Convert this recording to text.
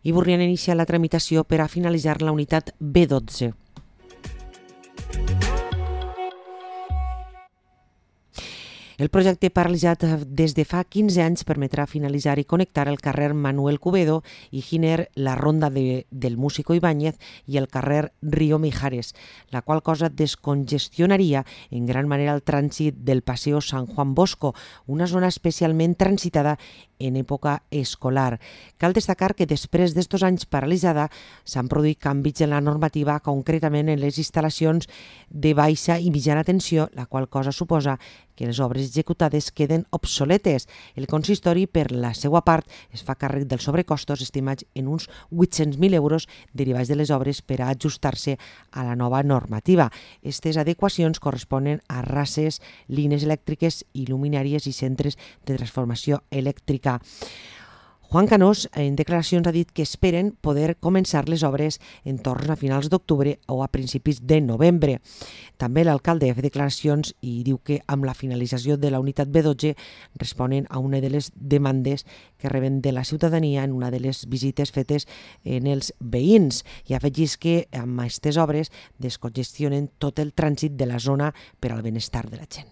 i Burriana inicia la tramitació per a finalitzar la unitat B12. El projecte paralitzat des de fa 15 anys permetrà finalitzar i connectar el carrer Manuel Cubedo i Giner, la ronda del Músico Ibáñez i el carrer Río Mijares, la qual cosa descongestionaria en gran manera el trànsit del Paseo San Juan Bosco, una zona especialment transitada en època escolar. Cal destacar que després d'estos anys paralitzada s'han produït canvis en la normativa, concretament en les instal·lacions de baixa i mitjana tensió, la qual cosa suposa que les obres executades queden obsoletes. El consistori, per la seva part, es fa càrrec dels sobrecostos estimats en uns 800.000 euros derivats de les obres per a ajustar-se a la nova normativa. Aquestes adequacions corresponen a rases, línies elèctriques, il·luminàries i centres de transformació elèctrica. Juan Canós, en declaracions, ha dit que esperen poder començar les obres en torn a finals d'octubre o a principis de novembre. També l'alcalde ha fet declaracions i diu que amb la finalització de la unitat B12 responen a una de les demandes que reben de la ciutadania en una de les visites fetes en els veïns, i afegís que amb aquestes obres descongestionen tot el trànsit de la zona per al benestar de la gent.